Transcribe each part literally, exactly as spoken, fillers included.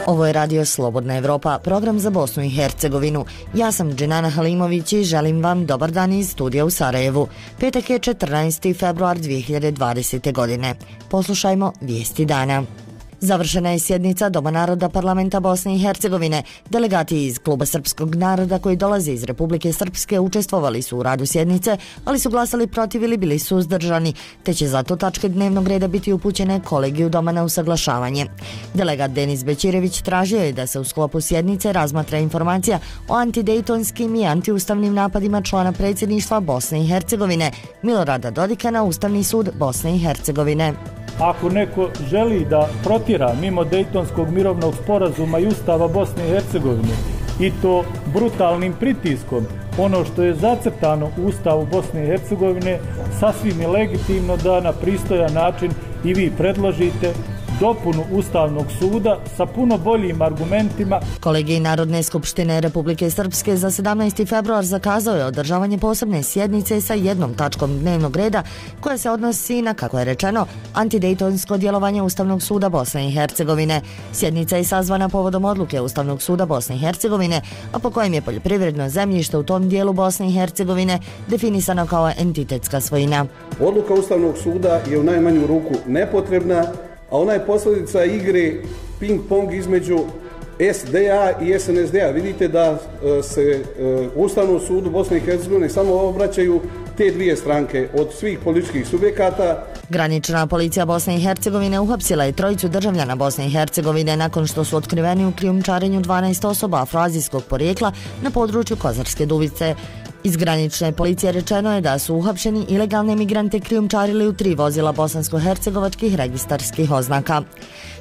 Ovo je Radio Slobodna Evropa, program za Bosnu i Hercegovinu. Ja sam Dženana Halimović i želim vam dobar dan iz studija u Sarajevu. Petak je četrnaesti februar dvije hiljade dvadesete. godine. Poslušajmo vijesti dana. Završena je sjednica Doma naroda Parlamenta Bosne i Hercegovine. Delegati iz Kluba srpskog naroda koji dolaze iz Republike Srpske učestvovali su u radu sjednice, ali su glasali protiv ili bili suzdržani, te će zato tačke dnevnog reda biti upućene kolegiju Doma na usaglašavanje. Delegat Denis Bećirević tražio je da se u sklopu sjednice razmatra informacija o antidejtonskim i antiustavnim napadima člana predsjedništva Bosne i Hercegovine Milorada Dodika na Ustavni sud Bosne i Hercegovine. Ako neko želi da protjera mimo Dejtonskog mirovnog sporazuma i Ustava Bosne i Hercegovine i to brutalnim pritiskom, ono što je zacrtano u Ustavu Bosne i Hercegovine, sasvim je legitimno da na pristojan način i vi predložite dopunu Ustavnog suda sa puno boljim argumentima. Kolegij Narodne skupštine Republike Srpske za sedamnaesti februar zakazao je održavanje posebne sjednice sa jednom tačkom dnevnog reda koja se odnosi na, kako je rečeno, antidejtonsko djelovanje Ustavnog suda Bosne i Hercegovine. Sjednica je sazvana povodom odluke Ustavnog suda Bosne i Hercegovine, a po kojem je poljoprivredno zemljište u tom dijelu Bosne i Hercegovine definisano kao entitetska svojina. Odluka Ustavnog suda je u najmanju ruku nepotrebna, a ona je posljedica igre ping-pong između S D A i S N S D A. Vidite da se Ustavnom sudu Bosne i Hercegovine samo obraćaju te dvije stranke od svih političkih subjekata. Granična policija Bosne i Hercegovine uhapsila je trojicu državljana Bosne i Hercegovine nakon što su otkriveni u krijumčarenju dvanaest osoba afroazijskog porijekla na području Kozarske Dubice. Iz granične policije rečeno je da su uhapšeni ilegalne migrante krijumčarili u tri vozila bosansko-hercegovačkih registarskih oznaka.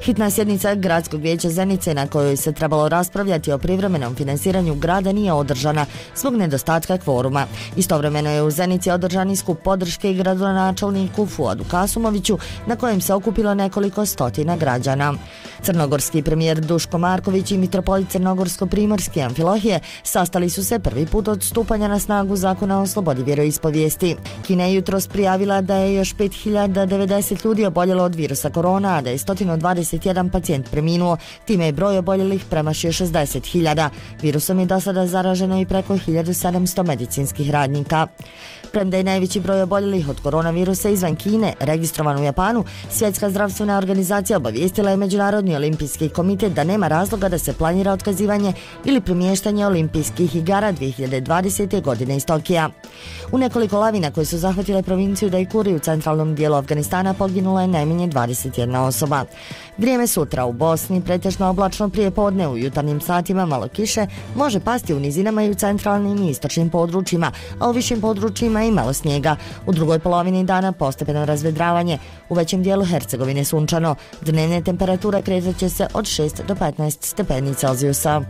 Hitna sjednica Gradskog vijeća Zenice na kojoj se trebalo raspravljati o privremenom finansiranju grada nije održana zbog nedostatka kvoruma. Istovremeno je u Zenici održan skup podrške gradonačelniku Fuadu Kasumoviću na kojem se okupilo nekoliko stotina građana. Crnogorski premijer Duško Marković i mitropolit Crnogorsko-primorski Amfilohije sastali su se prvi put od stupanja na snagu zakona o slobodi vjeroispovijesti. Kina je jutros prijavila da je još pet hiljada devedeset ljudi oboljelo od virusa korona, a da je sto dvadeset jedan pacijent preminuo, time je broj oboljelih premašio šezdeset hiljada. Virusom je do sada zaraženo i preko hiljadu sedamsto medicinskih radnika. Premda je najveći broj oboljelih od koronavirusa izvan Kine registrovan u Japanu, Svjetska zdravstvena organizacija obavijestila je Međunarodni olimpijski komitet da nema razloga da se planira otkazivanje ili premještanje olimpijskih igara dvije hiljade dvadesete. godine iz Tokija. U nekoliko lavina koje su zahvatile provinciju Daikuri u centralnom dijelu Afganistana poginula je najmanje dvadeset jedna osoba. Vrijeme sutra u Bosni pretežno oblačno prije podne, u jutarnjim satima malo kiše, može pasti u nizinama i u centralnim i istočnim područjima, a u višim područjima i malo snijega. U drugoj polovini dana postepeno razvedravanje. U većem dijelu Hercegovine sunčano. Dnevne temperature kretat će se od šest do petnaest stepeni Celzijusa.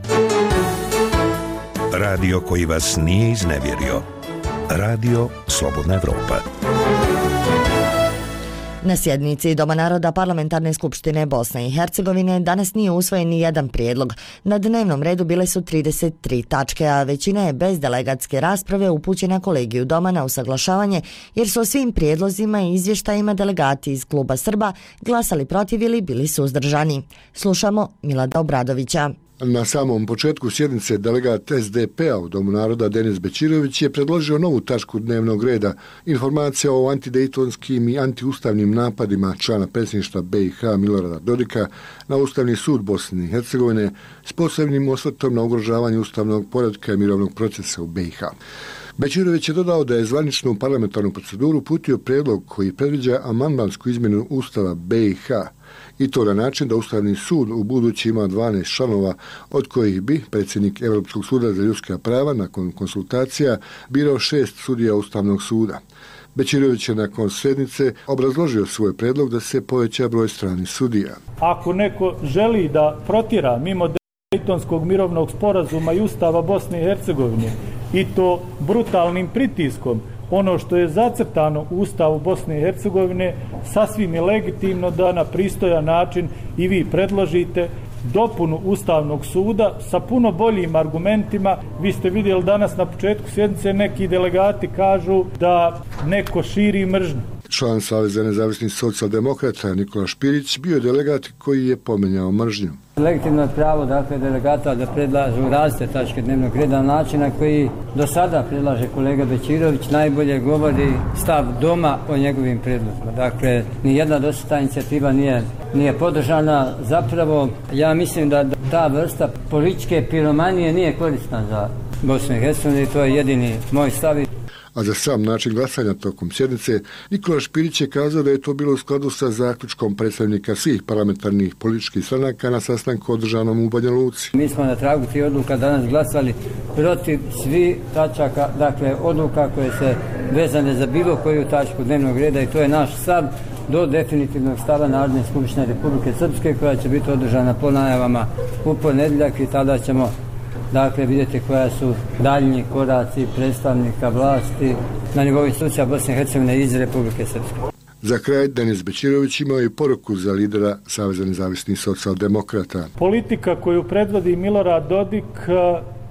Radio koji vas nije iznevjerio. Radio Slobodna Evropa. Na sjednici Doma naroda Parlamentarne skupštine Bosne i Hercegovine danas nije usvojen ni jedan prijedlog. Na dnevnom redu bile su trideset tri tačke, a većina je bez delegatske rasprave upućena kolegiju Doma na usaglašavanje, jer su o svim prijedlozima i izvještajima delegati iz Kluba Srba glasali protiv ili bili suzdržani. Slušamo Milada Obradovića. Na samom početku sjednice delegat S D P-a u Domu naroda Denis Bećirović je predložio novu tačku dnevnog reda, informacija o antidejtonskim i antiustavnim napadima člana predsjedništva B i H Milorada Dodika na Ustavni sud Bosne i Hercegovine s posebnim osvrtom na ugrožavanje ustavnog poretka i mirovnog procesa u B i H. Bećirović je dodao da je zvaničnu parlamentarnu proceduru uputio prijedlog koji predviđa amandmansku izmjenu Ustava B i H, i to na način da Ustavni sud u budući ima dvanaest članova, od kojih bi predsjednik Europskog suda za ljudska prava nakon konsultacija birao šest sudija Ustavnog suda. Bećirović je nakon sjednice obrazložio svoj predlog da se poveća broj stranih sudija. Ako neko želi da protjera mimo Dejtonskog mirovnog sporazuma i Ustava Bosne i Hercegovine i to brutalnim pritiskom, ono što je zacrtano u Ustavu Bosne i Hercegovine, sasvim je legitimno da na pristojan način i vi predložite dopunu Ustavnog suda sa puno boljim argumentima. Vi ste vidjeli danas na početku sjednice neki delegati kažu da neko širi mržnju. Član Saveza nezavisnih socijaldemokrata Nikola Špirić bio je delegat koji je pomenjao mržnju. Legitimno je pravo dakle, delegata da predlažu različite tačke dnevnog reda na način na koji do sada predlaže kolega Bećirović najbolje govori stav doma o njegovim predlozima. Dakle, nijedna do sada inicijativa nije, nije podržana. Zapravo, ja mislim da ta vrsta političke piromanije nije korisna za Bosnu i Hercegovinu i to je jedini moj stav. A za sam način glasanja tokom sjednice, Nikola Špirić je kazao da je to bilo u skladu sa zaključkom predstavnika svih parlamentarnih političkih stranaka na sastanku održanom u Banja Luci. Mi smo na tragu tih odluka danas glasali protiv svih tačaka, dakle odluka koje se vezane za bilo koju tačku dnevnog reda i to je naš stav do definitivnog stava Narodne skupštine Republike Srpske koja će biti održana po najavama u ponedjeljak i tada ćemo dakle vidjeti koja su daljnji koraci predstavnika vlasti na nivou institucija Bosne i Hercegovine iz Republike Srpske. Za kraj, Denis Bećirović imao i poruku za lidera Saveza nezavisnih socijaldemokrata. Politika koju predvodi Milorad Dodik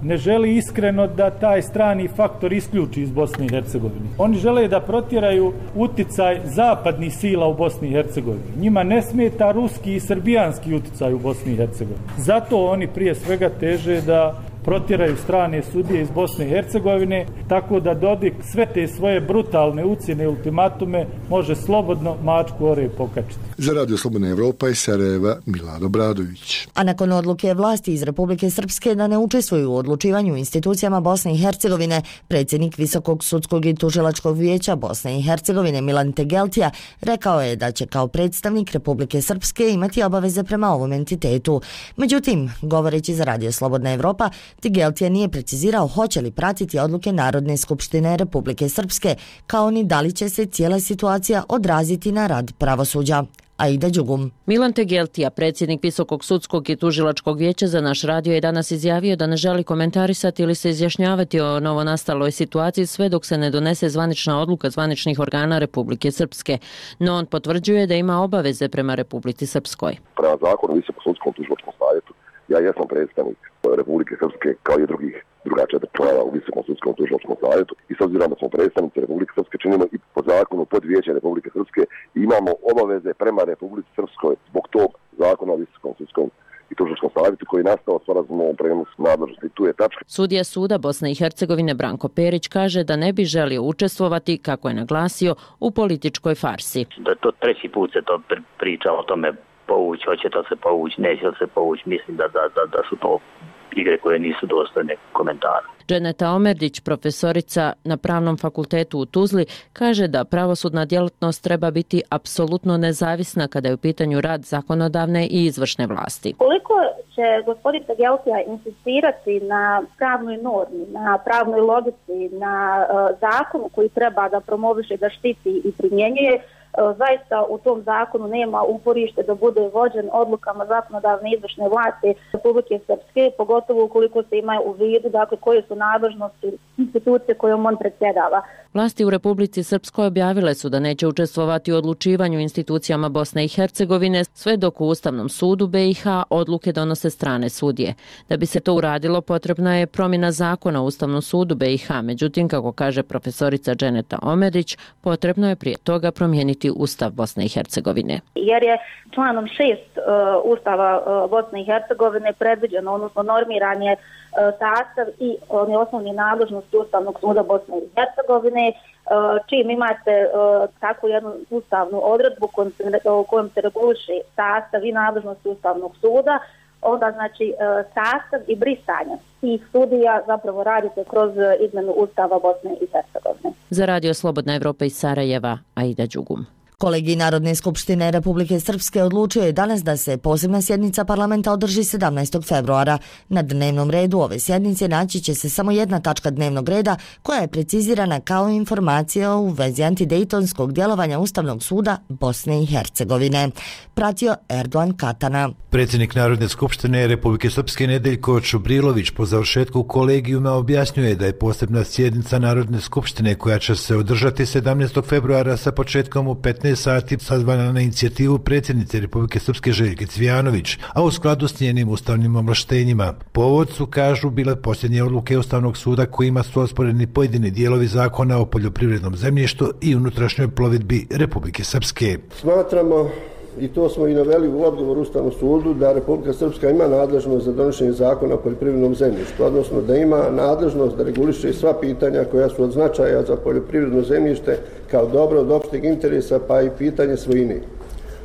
ne želi iskreno da taj strani faktor isključi iz Bosne i Hercegovine. Oni žele da protjeraju uticaj zapadnih sila u Bosni i Hercegovini. Njima ne smeta ruski i srbijanski uticaj u Bosni i Hercegovini. Zato oni prije svega teže da protjeraju strane sudije iz Bosne i Hercegovine, tako da Dodik sve te svoje brutalne ucjene i ultimatume može slobodno mačku ore pokačiti. Za Radio Slobodna Evropa iz Sarajeva, Milad Obradović. A nakon odluke vlasti iz Republike Srpske da ne učestvuju u odlučivanju u institucijama Bosne i Hercegovine, predsjednik Visokog sudskog i tužilačkog vijeća Bosne i Hercegovine Milan Tegeltija rekao je da će kao predstavnik Republike Srpske imati obaveze prema ovom entitetu. Međutim, govoreći za Radio Slobodna Evropa, Tegeltija nije precizirao hoće li pratiti odluke Narodne skupštine Republike Srpske, kao ni da li će se cijela situacija odraziti na rad pravosuđa. Aida Đugum. Milan Tegeltija, predsjednik Visokog sudskog i tužilačkog vijeća za naš radio, je danas izjavio da ne želi komentarisati ili se izjašnjavati o novonastaloj situaciji sve dok se ne donese zvanična odluka zvaničnih organa Republike Srpske. No on potvrđuje da ima obaveze prema Republici Srpskoj. Prema zakonu o Visokom sudskom tužilačkom savjetu ja jesam predstavnik Republike Srpske kao i drugih druga četiri člana u Visokom sudskom tužilačkom savjetu i s obzirom da smo predstavnici Republike Srpske činimo i po zakonu pod vijeće Republike Srpske imamo obaveze prema Republici Srpskoj zbog tog zakona o Visokom sudskom i tužilačkom savjetu koji je nastao sporazumom o prenosu nadležnosti. Tu je tačka. Sudija suda Bosne i Hercegovine Branko Perić kaže da ne bi želio učestvovati, kako je naglasio, u političkoj farsi. Da to treći put se to priča o tome povući, hoće to se povući, neće se povući. Mislim da, da, da, da su to igre koje nisu dostojne komentara. Dženeta Omerdić, profesorica na Pravnom fakultetu u Tuzli, kaže da pravosudna djelatnost treba biti apsolutno nezavisna kada je u pitanju rad zakonodavne i izvršne vlasti. Koliko će gospodin Tegeltija insistirati na pravnoj normi, na pravnoj logici, na uh, zakonu koji treba da promoviše, da štiti i primjenjuje, zaista u tom zakonu nema uporište da bude vođen odlukama zakonodavne izvršne vlasti Republike Srpske, pogotovo ukoliko se ima u vidu dakle, koje su nadležnosti institucije kojom on predsjedava. Vlasti u Republici Srpskoj objavile su da neće učestvovati u odlučivanju institucijama Bosne i Hercegovine sve dok u Ustavnom sudu B i H odluke donose strane sudije. Da bi se to uradilo, potrebna je promjena zakona u Ustavnom sudu B i H. Međutim, kako kaže profesorica Dženeta Omerić, potrebno je prije toga promijeniti Ustav Bosne i Hercegovine. Jer je članom šest uh, Ustava uh, Bosne i Hercegovine predviđeno, odnosno normiranje uh, sastav i one osnovne nadležnosti Ustavnog suda Bosne i Hercegovine, uh, čim imate uh, takvu jednu ustavnu odredbu kojom se, uh, kojom se reguliše sastav i nadležnosti Ustavnog suda, onda znači uh, sastav i brisanje tih sudija zapravo radite kroz izmenu Ustava Bosne i Hercegovine. Za Radio Slobodna Evropa iz Sarajeva, Aida Đugum. Kolegij Narodne skupštine Republike Srpske odlučio je danas da se posebna sjednica parlamenta održi sedamnaestog februara. Na dnevnom redu ove sjednice naći će se samo jedna tačka dnevnog reda koja je precizirana kao informacija u vezi antidejtonskog djelovanja Ustavnog suda Bosne i Hercegovine. Pratio Erdogan Katana. Predsjednik Narodne skupštine Republike Srpske Nedeljko Čubrilović po završetku kolegijuma objasnjuje da je posebna sjednica Narodne skupštine koja će se održati sedamnaestog februara sa početkom u petnaest devetnaest sati sazvana na inicijativu predsjednice Republike Srpske Željke Cvijanović, a u skladu s njenim ustavnim ovlaštenjima. Povod su, kažu, bile posljednje odluke Ustavnog suda kojima su osporeni pojedini dijelovi zakona o poljoprivrednom zemljištu i unutrašnjoj plovidbi Republike Srpske. Smatramo, i to smo i naveli u odgovoru Ustavnom sudu, da Republika Srpska ima nadležnost za donošenje zakona o poljoprivrednom zemljištu, odnosno da ima nadležnost da reguliše sva pitanja koja su od značaja za poljoprivredno zemljište kao dobro od opšteg interesa, pa i pitanje svojine.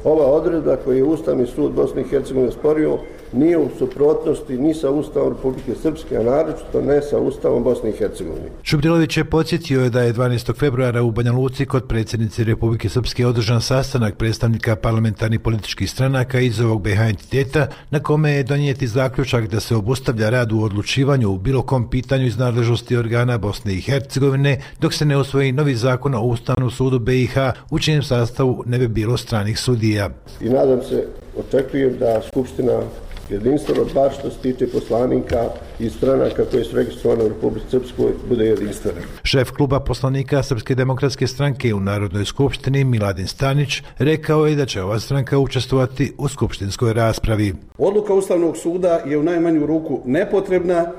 Ova odredba koju je Ustavni sud Bosne i Hercegovine sporio nije u suprotnosti ni sa Ustavom Republike Srpske, a naročito ne sa Ustavom Bosne i Hercegovine. Čubrilović je podsjetio da je dvanaestog februara u Banja Luci kod predsjednice Republike Srpske održan sastanak predstavnika parlamentarnih političkih stranaka iz ovog B iH entiteta, na kome je donijeti zaključak da se obustavlja rad u odlučivanju u bilo kom pitanju iz nadležnosti organa Bosne i Hercegovine, dok se ne usvoji novi zakon o Ustavnom sudu B iH u čijem sastavu ne bi bilo stranih sudija. I nadam se, očekujem da Skupština jedinstveno, bar što se tiče poslanika i stranaka koje su registrovane u Republici Srpskoj, bude jedinstveno. Šef kluba poslanika Srpske demokratske stranke u Narodnoj skupštini Miladin Stanić rekao je da će ova stranka učestvovati u skupštinskoj raspravi. Odluka Ustavnog suda je u najmanju ruku nepotrebna,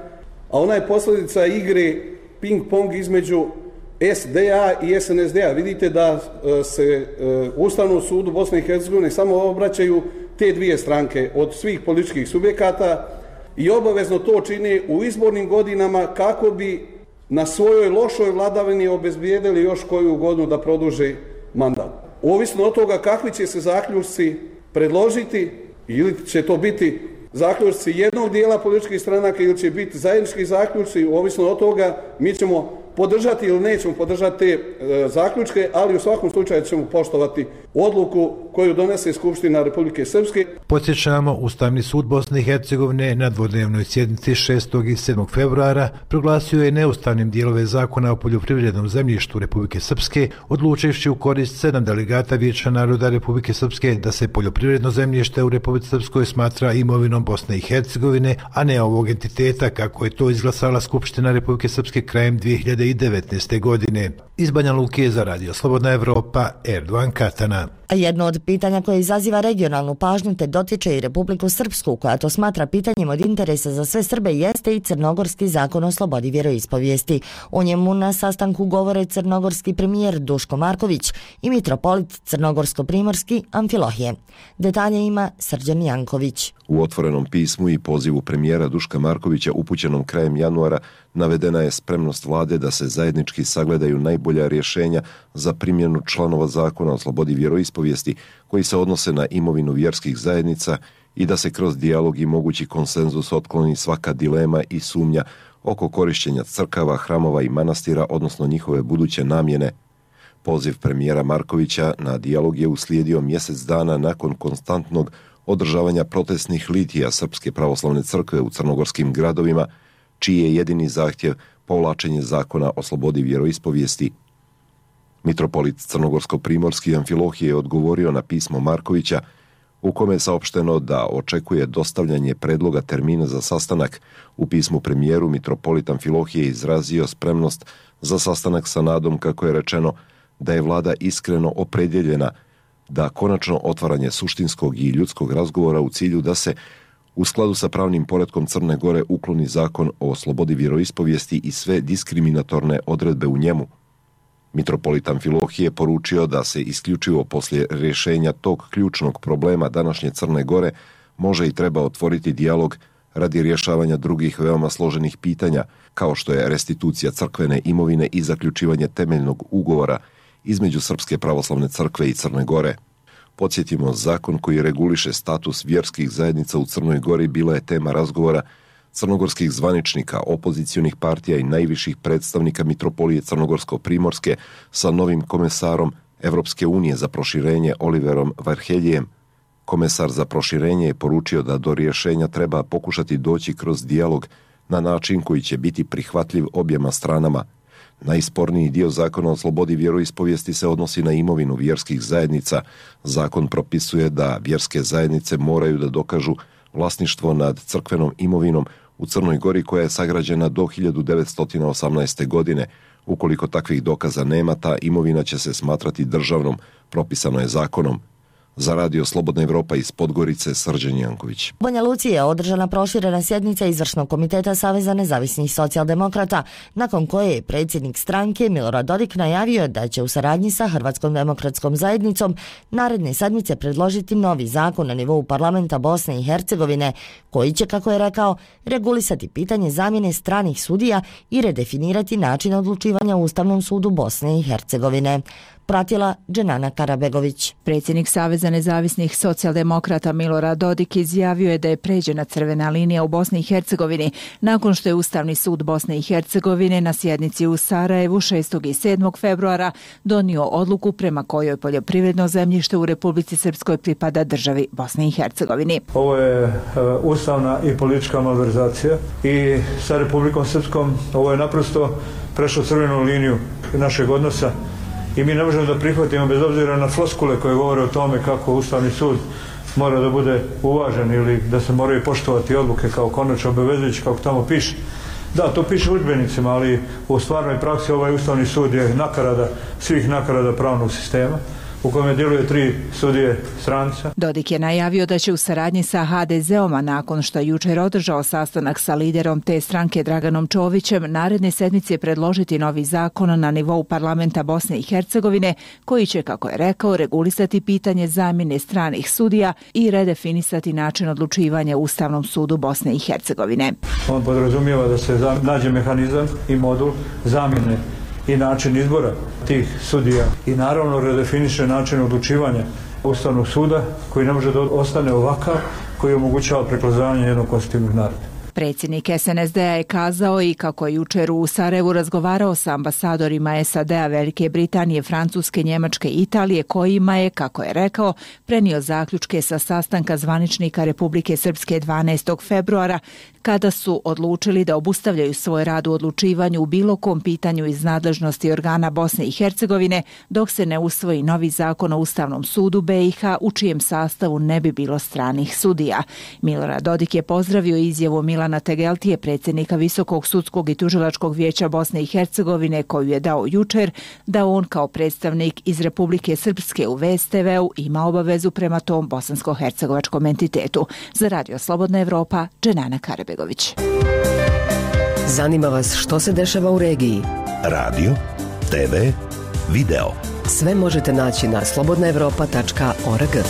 a ona je posljedica igre ping-pong između S D A i S N S D A. Vidite da se Ustavnom sudu Bosne i Hercegovine samo obraćaju te dvije stranke od svih političkih subjekata i obavezno to čine u izbornim godinama kako bi na svojoj lošoj vladavini obezbijedili još koju godinu da produže mandat. Ovisno od toga kakvi će se zaključci predložiti, ili će to biti zaključci jednog dijela političkih stranaka ili će biti zajednički zaključci, ovisno od toga mi ćemo podržati ili nećemo podržati te e, zaključke, ali u svakom slučaju ćemo poštovati odluku koju donese Skupština Republike Srpske. Podsjećamo, Ustavni sud Bosne i Hercegovine na dvodnevnoj sjednici šestog i sedmog februara proglasio je neustavnim dijelove zakona o poljoprivrednom zemljištu Republike Srpske, odlučivši u korist sedam delegata Vijeća naroda Republike Srpske da se poljoprivredno zemljište u Republici Srpskoj smatra imovinom Bosne i Hercegovine, a ne ovog entiteta kako je to izglasala Skupština Republike Srpske krajem dvije hiljade devetnaeste. godine. Iz Banja Luke za Radio Slobodna Evropa, Erdogan Katana. A jedno od pitanja koje izaziva regionalnu pažnju te dotiče i Republiku Srpsku, koja to smatra pitanjem od interesa za sve Srbe, jeste i Crnogorski zakon o slobodi vjeroispovijesti. O njemu na sastanku govore crnogorski premijer Duško Marković i mitropolit crnogorsko-primorski Amfilohije. Detalje ima Srđan Janković. U otvorenom pismu i pozivu premijera Duška Markovića upućenom krajem januara navedena je spremnost vlade da se zajednički sagledaju najbolja rješenja za primjenu članova zakona o slobodi vjeroispovijesti koji se odnose na imovinu vjerskih zajednica i da se kroz dijalog i mogući konsenzus otkloni svaka dilema i sumnja oko korištenja crkava, hramova i manastira, odnosno njihove buduće namjene. Poziv premijera Markovića na dijalog je uslijedio mjesec dana nakon konstantnog održavanja protestnih litija Srpske pravoslavne crkve u crnogorskim gradovima, čiji je jedini zahtjev povlačenje zakona o slobodi vjeroispovijesti. Mitropolit crnogorsko-primorski Amfilohije je odgovorio na pismo Markovića u kome je saopšteno da očekuje dostavljanje predloga termina za sastanak. U pismu premijeru mitropolit Amfilohije izrazio spremnost za sastanak sa nadom, kako je rečeno, da je vlada iskreno opredjeljena da konačno otvaranje suštinskog i ljudskog razgovora u cilju da se u skladu sa pravnim poretkom Crne Gore ukloni zakon o slobodi vjeroispovijesti i sve diskriminatorne odredbe u njemu. Mitropolit Amfilohije je poručio da se isključivo poslije rješenja tog ključnog problema današnje Crne Gore može i treba otvoriti dijalog radi rješavanja drugih veoma složenih pitanja, kao što je restitucija crkvene imovine i zaključivanje temeljnog ugovora između Srpske pravoslavne crkve i Crne Gore. Podsjetimo, zakon koji reguliše status vjerskih zajednica u Crnoj Gori bila je tema razgovora crnogorskih zvaničnika, opozicionih partija i najviših predstavnika mitropolije Crnogorsko-primorske sa novim komesarom Evropske unije za proširenje Oliverom Varheljijem. Komesar za proširenje je poručio da do rješenja treba pokušati doći kroz dijalog na način koji će biti prihvatljiv objema stranama. Najsporniji dio zakona o slobodi vjeroispovijesti se odnosi na imovinu vjerskih zajednica. Zakon propisuje da vjerske zajednice moraju da dokažu vlasništvo nad crkvenom imovinom u Crnoj Gori koja je sagrađena do hiljadu devetsto osamnaeste. godine. Ukoliko takvih dokaza nema, ta imovina će se smatrati državnom, propisano je zakonom. Za Radio Slobodna Evropa iz Podgorice, Srđan Janković. U Banja Luci je održana proširena sjednica Izvršnog komiteta Saveza nezavisnih socijaldemokrata, nakon koje je predsjednik stranke Milorad Dodik najavio da će u saradnji sa Hrvatskom demokratskom zajednicom naredne sedmice predložiti novi zakon na nivou parlamenta Bosne i Hercegovine, koji će, kako je rekao, regulisati pitanje zamjene stranih sudija i redefinirati način odlučivanja u Ustavnom sudu Bosne i Hercegovine. Pratila Dženana Karabegović. Predsjednik Saveza nezavisnih socijaldemokrata Milorad Dodik izjavio je da je pređena crvena linija u Bosni i Hercegovini nakon što je Ustavni sud Bosne i Hercegovine na sjednici u Sarajevu šestog i sedmog februara donio odluku prema kojoj poljoprivredno zemljište u Republici Srpskoj pripada državi Bosne i Hercegovini. Ovo je uh, ustavna i politička malverzacija i sa Republikom Srpskom ovo je naprosto prešlo crvenu liniju našeg odnosa. I mi ne možemo da prihvatimo, bez obzira na floskule koje govore o tome kako Ustavni sud mora da bude uvažen ili da se moraju poštovati odluke kao konačno obavezujući, kako tamo piše. Da, to piše u udžbenicima, ali u stvarnoj praksi ovaj Ustavni sud je nakarada svih nakarada pravnog sistema, u kome djeluje tri sudije stranca. Dodik je najavio da će u saradnji sa ha de zeom, a nakon što je jučer održao sastanak sa liderom te stranke Draganom Čovićem, naredne sedmice predložiti novi zakon na nivou parlamenta Bosne i Hercegovine, koji će, kako je rekao, regulisati pitanje zamjene stranih sudija i redefinisati način odlučivanja u Ustavnom sudu Bosne i Hercegovine. On podrazumijeva da se nađe mehanizam i modul zamjene i način izbora tih sudija i naravno redefiniše način odlučivanja Ustavnog suda koji ne može da ostane ovakav, koji omogućava preklazavanje jednog konstitutivnog naroda. Predsjednik es en es de a je kazao i kako je jučer u Sarajevu razgovarao sa ambasadorima es a de a, Velike Britanije, Francuske, Njemačke i Italije, kojima je, kako je rekao, prenio zaključke sa sastanka zvaničnika Republike Srpske dvanaestog februara, kada su odlučili da obustavljaju svoj rad u odlučivanju u bilo kom pitanju iz nadležnosti organa Bosne i Hercegovine, dok se ne usvoji novi zakon o Ustavnom sudu be i ha, u čijem sastavu ne bi bilo stranih sudija. Milorad Dodik je pozdravio izjavu Milana Tegeltije, predsjednika Visokog sudskog i tužilačkog vijeća Bosne i Hercegovine, koju je dao jučer, da on kao predstavnik iz Republike Srpske u ve es te veu ima obavezu prema tom bosansko-hercegovačkom entitetu. Za Radio Slobodna Evropa, Dženana Karabegović. Zanima vas što se dešava u regiji? Radio, te ve, video. Sve možete naći na slobodna evropa tačka org.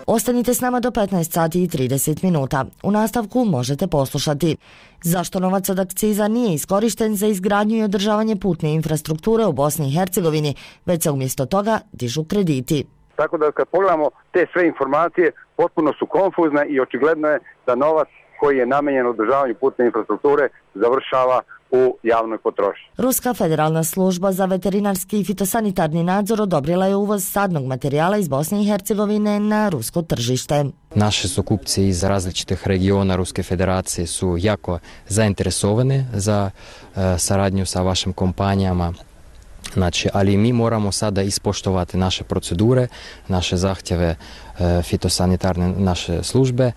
Ostanite s nama do petnaest sati i trideset minuta. U nastavku možete poslušati: zašto novac od akciza nije iskorišten za izgradnju i održavanje putne infrastrukture u Bosni i Hercegovini, već se umjesto toga dižu krediti. Tako da kad pogledamo te sve informacije, potpuno su konfuzne i očigledno je da novac koji je namenjen održavanju putne infrastrukture završava u javnoj potrošnji. Ruska federalna služba za veterinarski i fitosanitarni nadzor odobrila je uvoz sadnog materijala iz Bosne i Hercegovine na rusko tržište. Naši su kupci iz različitih regiona Ruske federacije su jako zainteresovani za uh, saradnju sa vašim kompanijama. Znači, ali mi moramo sada ispoštovati naše procedure, naše zahtjeve uh, fitosanitarne naše službe.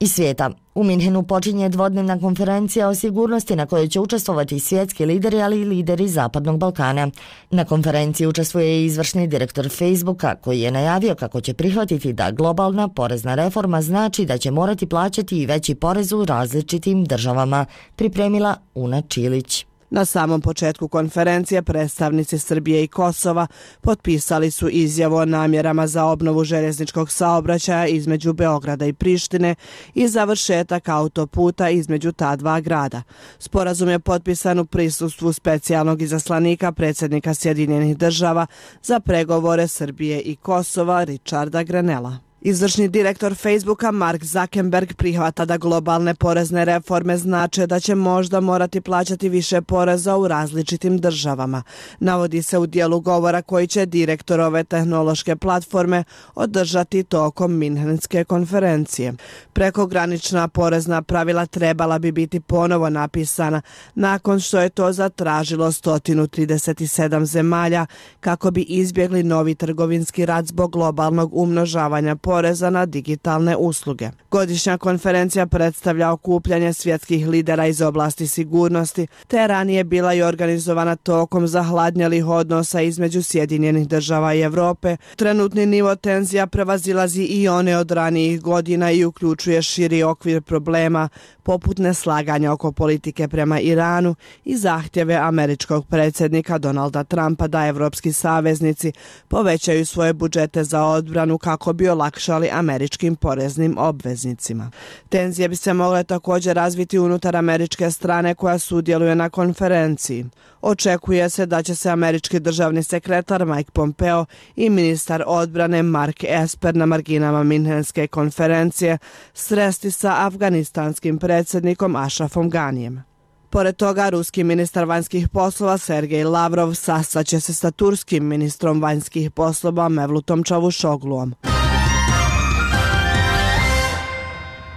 Iz svijeta. U Minhenu počinje dvodnevna konferencija o sigurnosti na kojoj će učestvovati svjetski lideri, ali i lideri Zapadnog Balkana. Na konferenciji učestvuje i izvršni direktor Facebooka, koji je najavio kako će prihvatiti da globalna porezna reforma znači da će morati plaćati i veći porez u različitim državama, pripremila Una Čilić. Na samom početku konferencije predstavnici Srbije i Kosova potpisali su izjavu o namjerama za obnovu željezničkog saobraćaja između Beograda i Prištine i završetak autoputa između ta dva grada. Sporazum je potpisan u prisustvu specijalnog izaslanika predsjednika Sjedinjenih država za pregovore Srbije i Kosova Richarda Grenella. Izvršni direktor Facebooka Mark Zuckerberg prihvata da globalne porezne reforme znače da će možda morati plaćati više poreza u različitim državama. Navodi se u dijelu govora koji će direktor ove tehnološke platforme održati tokom Minhenske konferencije. Prekogranična porezna pravila trebala bi biti ponovo napisana nakon što je to zatražilo sto trideset sedam zemalja kako bi izbjegli novi trgovinski rat zbog globalnog umnožavanja poreza poreza na digitalne usluge. Godišnja konferencija predstavlja okupljanje svjetskih lidera iz oblasti sigurnosti, te ranije bila i organizovana tokom zahladnjelih odnosa između Sjedinjenih država i Europe. Trenutni nivo tenzija prevazilazi i one od ranijih godina i uključuje širi okvir problema, poput neslaganja oko politike prema Iranu i zahtjeve američkog predsjednika Donalda Trumpa da evropski saveznici povećaju svoje budžete za odbranu kako bi olakšali američkim poreznim obveznicima. Tenzije bi se mogle također razviti unutar američke strane koja sudjeluje na konferenciji. Očekuje se da će se američki državni sekretar Mike Pompeo i ministar odbrane Mark Esper na marginama Minhenske konferencije sresti sa afganistanskim predsjednikom Ashrafom Ganijem. Pored toga, ruski ministar vanjskih poslova Sergej Lavrov sastaće se sa turskim ministrom vanjskih poslova Mevlutom Čavuşogluom.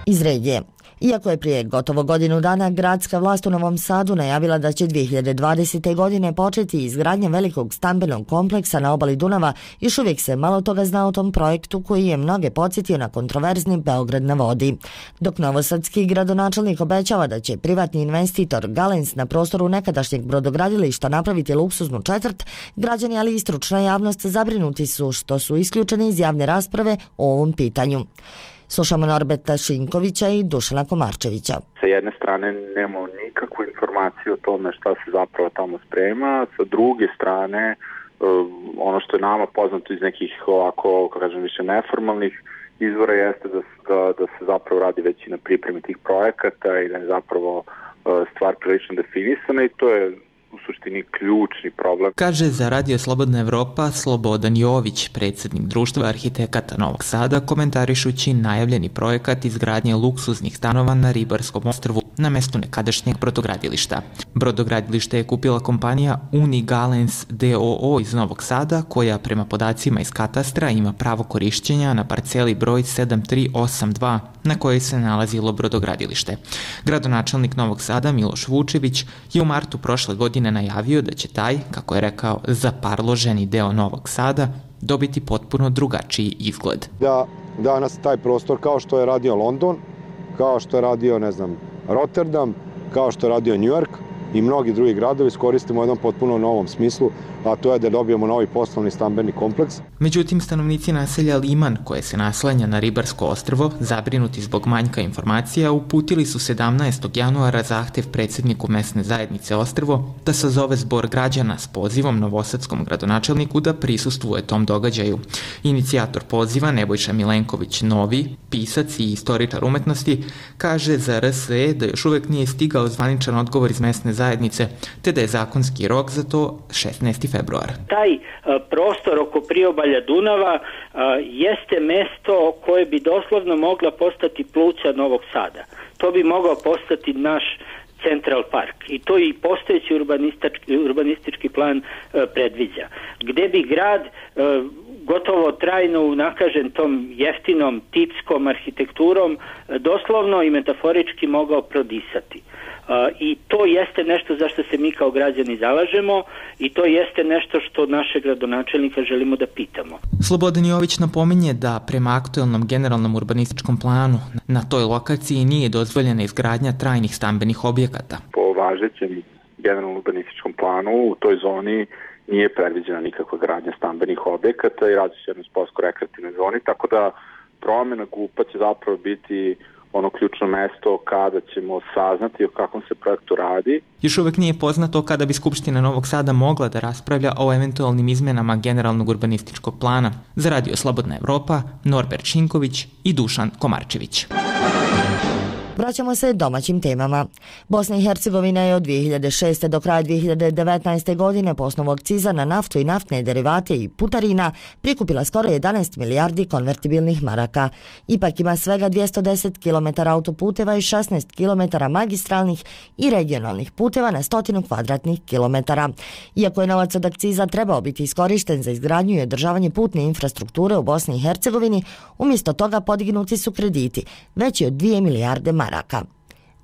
Iz regije. Iako je prije gotovo godinu dana gradska vlast u Novom Sadu najavila da će dvije hiljade dvadesete. godine početi izgradnja velikog stambenog kompleksa na obali Dunava, još uvijek se malo toga zna o tom projektu koji je mnoge podsjetio na kontroverzni Beograd na vodi. Dok novosadski gradonačelnik obećava da će privatni investitor Galens na prostoru nekadašnjeg brodogradilišta napraviti luksuznu četvrt, građani ali i stručna javnost zabrinuti su što su isključeni iz javne rasprave o ovom pitanju. Slušamo Norberta Šinkovića i Dušana Komarčevića. Sa jedne strane nemamo nikakvu informaciju o tome šta se zapravo tamo sprema, sa druge strane ono što je nama poznato iz nekih ovako, kako kažem, više neformalnih izvora jeste da, da, da se zapravo radi već i na pripremi tih projekata i da je zapravo stvar prilično definisana i to je u suštini ključni problem. Kaže za Radio Slobodna Evropa Slobodan Jović, predsjednik Društva arhitekata Novog Sada, komentarišući najavljeni projekat izgradnje luksuznih stanova na Ribarskom ostrvu na mestu nekadašnjeg brodogradilišta. Brodogradilište je kupila kompanija Unigalens d o o iz Novog Sada, koja prema podacima iz katastra ima pravo korišćenja na parceli broj sedam tri osam dva na kojoj se nalazilo brodogradilište. Gradonačelnik Novog Sada Miloš Vučević je u martu prošle godine najavio da će taj, kako je rekao, zaparloženi deo Novog Sada dobiti potpuno drugačiji izgled. Da danas taj prostor, kao što je radio London, kao što je radio, ne znam, Rotterdam, kao što je radio New York i mnogi drugi gradovi, iskoristimo u jednom potpuno novom smislu, a to je da dobijemo novi poslovni stambeni kompleks. Međutim, stanovnici naselja Liman, koje se naslanja na Ribarsko ostrvo, zabrinuti zbog manjka informacija, uputili su sedamnaestog januara zahtev predsjedniku mesne zajednice ostrvo da sazove zbor građana s pozivom novosadskom gradonačelniku da prisustvuje tom događaju. Inicijator poziva, Nebojša Milenković Novi, pisac i istoričar umetnosti, kaže za R S E da još uvijek nije stigao zvaničan odgovor iz mesne zajednice, te da je zakonski rok za to šesnaesti februar. Taj uh, prostor oko priobalja Dunava uh, jeste mesto koje bi doslovno mogla postati pluća Novog Sada. To bi mogao postati naš Central Park i to i postojeći urbanistički, urbanistički plan uh, predviđa. Gde bi grad uh, gotovo trajno unakažen tom jeftinom tipskom arhitekturom uh, doslovno i metaforički mogao prodisati. Uh, I to jeste nešto za što se mi kao građani zalažemo i to jeste nešto što naše gradonačelnika želimo da pitamo. Slobodan Jović napominje da prema aktuelnom generalnom urbanističkom planu na toj lokaciji nije dozvoljena izgradnja trajnih stambenih objekata. Po važećem generalnom urbanističkom planu u toj zoni nije predviđena nikakva gradnja stambenih objekata i radi se jedno sportsko-rekreativnoj zoni, tako da promjena G U P-a će zapravo biti ono ključno mesto kada ćemo saznati o kakvom se projektu radi. Još uvijek nije poznato kada bi Skupština Novog Sada mogla da raspravlja o eventualnim izmenama generalnog urbanističkog plana. Za Radio Slobodna Evropa, Norbert Šinković i Dušan Komarčević. Vraćamo se domaćim temama. Bosna i Hercegovina je od dvije hiljade šeste. do kraja dvije hiljade devetnaeste. godine po osnovu akciza na naftu i naftne derivate i putarina prikupila skoro jedanaest milijardi konvertibilnih maraka. Ipak ima svega dvjesto deset kilometara autoputeva i šesnaest kilometara magistralnih i regionalnih puteva na stotinu kvadratnih kilometara. Iako je novac od akciza trebao biti iskorišten za izgradnju i održavanje putne infrastrukture u Bosni i Hercegovini, umjesto toga podignuti su krediti, veći od dvije milijarde maraka.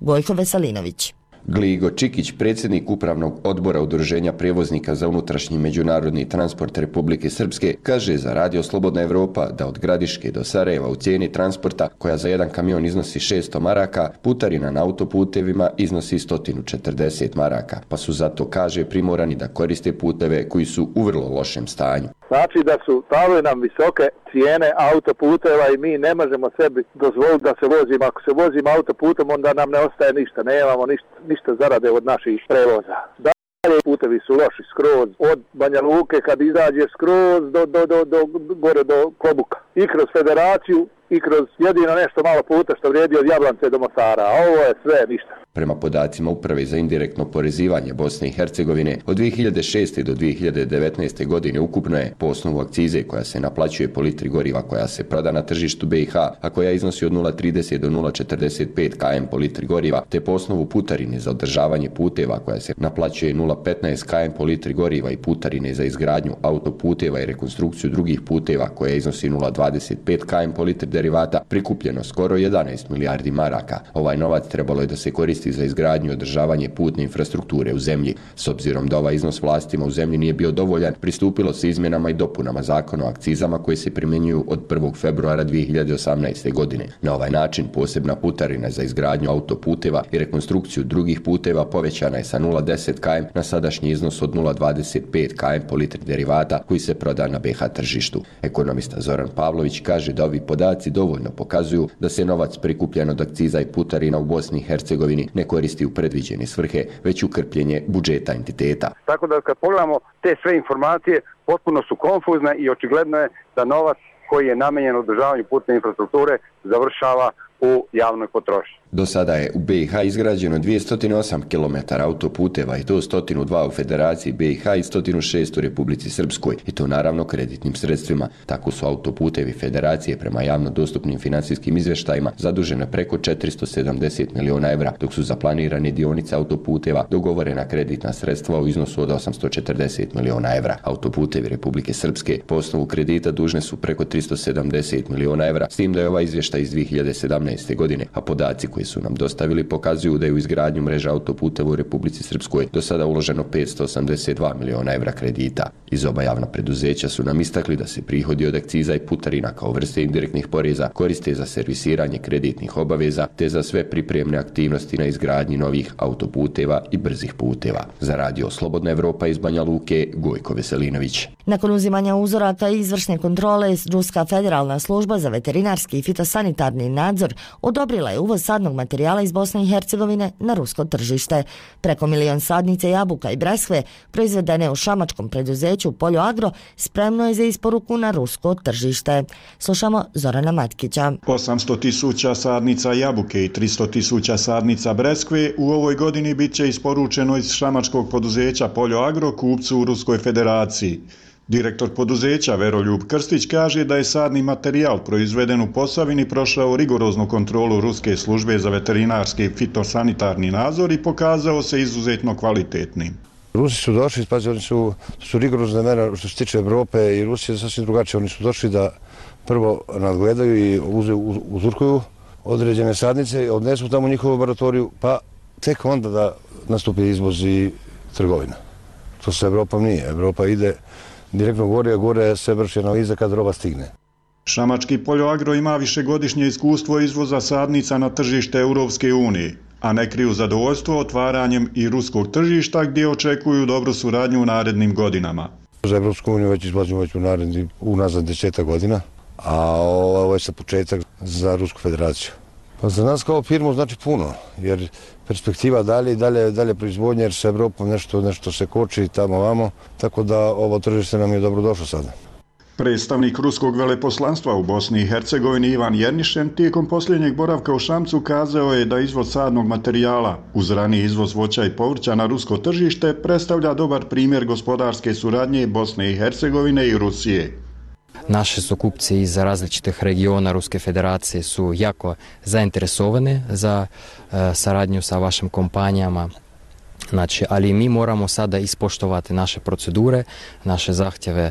Gojko Veselinović. Gligo Čikić, predsjednik upravnog odbora Udruženja prijevoznika za unutrašnji međunarodni transport Republike Srpske, kaže za Radio Slobodna Evropa da od Gradiške do Sarajeva u cijeni transporta, koja za jedan kamion iznosi šesto maraka, putarina na autoputevima iznosi sto četrdeset maraka, pa su zato, kaže, primorani da koriste puteve koji su u vrlo lošem stanju. Znači da su stavili nam visoke cijene autoputeva i mi ne možemo sebi dozvoliti da se vozimo. Ako se vozimo autoputom, onda nam ne ostaje ništa, nemamo ništa, ništa zarade od naših prevoza. Dalje putevi su loši skroz, od Banja Luke kad izađe skroz do, do, do, do, gore do Klobuka. I kroz federaciju i kroz jedino nešto malo puta što vrijedi od Jablance do Mostara, a ovo je sve ništa. Prema podacima Uprave za indirektno porezivanje Bosne i Hercegovine, od dvije hiljade šeste. do dvije hiljade devetnaeste. godine ukupno je po osnovu akcize koja se naplaćuje po litri goriva koja se proda na tržištu B i H, a koja iznosi od nula zarez trideset do nula zarez četrdeset pet kilometara po litri goriva, te po osnovu putarine za održavanje puteva koja se naplaćuje nula zarez petnaest kilometara po litri goriva i putarine za izgradnju autoputeva i rekonstrukciju drugih puteva koja iznosi nula zarez dvadeset pet kilometara po litri derivata, prikupljeno skoro jedanaest milijardi maraka. Ovaj novac trebalo je da se koristi za izgradnju i održavanje putne infrastrukture u zemlji. S obzirom da ovaj iznos vlastima u zemlji nije bio dovoljan, pristupilo se izmjenama i dopunama zakona o akcizama koje se primjenjuju od prvog februara dvije hiljade osamnaeste. godine. Na ovaj način posebna putarina za izgradnju autoputeva i rekonstrukciju drugih puteva povećana je sa nula zarez deset kilometara na sadašnji iznos od nula zarez dvadeset pet kilometara po litri derivata koji se proda na B H tržištu. Ekonomista Zoran Pavlović kaže da ovi podaci dovoljno pokazuju da se novac prikupljen od akciza i putarina u Bosni i Hercegovini ne koristi u predviđene svrhe, već u krpljenje budžeta entiteta. Tako da kad pogledamo te sve informacije, potpuno su konfuzne i očigledno je da novac koji je namenjen održavanju putne infrastrukture završava u javnoj potrošnji. Do sada je u B i H izgrađeno dvjesto osam kilometara autoputeva i to sto dva u Federaciji B i H i sto šest u Republici Srpskoj, i to naravno kreditnim sredstvima. Tako su autoputevi Federacije prema javno dostupnim financijskim izvještajima zadužene preko četiristo sedamdeset miliona evra, dok su za planirane dionice autoputeva dogovorena kreditna sredstva u iznosu od osamsto četrdeset miliona evra. Autoputevi Republike Srpske po osnovu kredita dužne su preko tristo sedamdeset miliona evra, s tim da je ovaj izvještaj iz dvije hiljade sedamnaeste. godine, a podaci koji su nam dostavili pokazuju da je u izgradnju mreža autoputeva u Republici Srpskoj do sada uloženo petsto osamdeset dva miliona evra kredita. Iz oba javna preduzeća su nam istakli da se prihodi od akciza i putarina kao vrste indirektnih poreza koriste za servisiranje kreditnih obaveza te za sve pripremne aktivnosti na izgradnji novih autoputeva i brzih puteva. Za Radio Slobodna Evropa iz Banja Luke, Gojko Veselinović. Nakon uzimanja uzoraka i izvršne kontrole, Ruska federalna služba za veterinarski i fitosanitarni nadzor odobrila je uvoz sadnog materijala iz Bosne i Hercegovine na rusko tržište. Preko milion sadnice jabuka i breskve proizvedene u šamačkom preduzeću Poljo Agro spremno je za isporuku na rusko tržište. Slušamo Zorana Matkića. osamsto tisuća sadnica jabuke i tristo tisuća sadnica breskve u ovoj godini bit će isporučeno iz šamačkog poduzeća Poljo Agro kupcu u Ruskoj federaciji. Direktor poduzeća Veroljub Krstić kaže da je sadni materijal proizveden u Posavini prošao rigoroznu kontrolu Ruske službe za veterinarski i fitosanitarni nadzor i pokazao se izuzetno kvalitetnim. Rusi su došli, pazi, oni su, su rigorozne mere što se tiče Evrope i Rusije sasvim drugačije. Oni su došli da prvo nadgledaju i uze, uzurkuju određene sadnice, odnesu tamo u njihovu laboratoriju, pa tek onda da nastupi izvoz i trgovina. To sa Evropom nije. Evropa ide direktno gore, a gore se vrši analiza kad roba stigne. Šamački Poljo Agro ima višegodišnje iskustvo izvoza sadnica na tržište Europske unije, a ne kriju zadovoljstvo otvaranjem i ruskog tržišta gdje očekuju dobru suradnju u narednim godinama. Za Evropsku uniju već izlazimo već u naredni, unazad desetak godina, a ovo je sa početak za Rusku federaciju. Pa za nas kao firmu znači puno, jer perspektiva dalje i dalje, dalje proizvodnje, jer sa Evropom nešto, nešto se koči tamo vamo, tako da ovo tržište nam je dobro došlo sada. Predstavnik ruskog veleposlanstva u Bosni i Hercegovini Ivan Jernišen tijekom posljednjeg boravka u Šamcu kazao je da izvoz sadnog materijala uz raniji izvoz voća i povrća na rusko tržište predstavlja dobar primjer gospodarske suradnje Bosne i Hercegovine i Rusije. Naši su kupci iz različitih regiona Ruske federacije su jako zainteresovani za uh, saradnju sa vašim kompanijama. Znači, ali mi moramo sada ispoštovati naše procedure, naše zahtjeve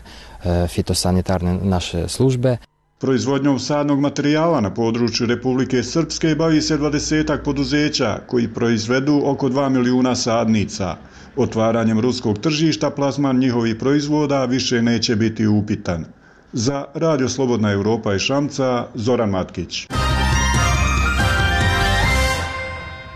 e, fitosanitarne naše službe. Proizvodnjom sadnog materijala na području Republike Srpske bavi se dvadesetak poduzeća koji proizvedu oko dva milijuna sadnica. Otvaranjem ruskog tržišta plasman njihovih proizvoda više neće biti upitan. Za Radio Slobodna Evropa iz Šamca, Zoran Matkić.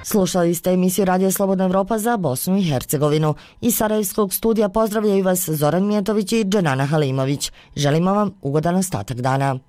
Slušali ste emisiju Radio Slobodna Evropa za Bosnu i Hercegovinu. Iz Sarajevskog studija pozdravljaju vas Zoran Mijetović i Dženana Halimović. Želimo vam ugodan ostatak dana.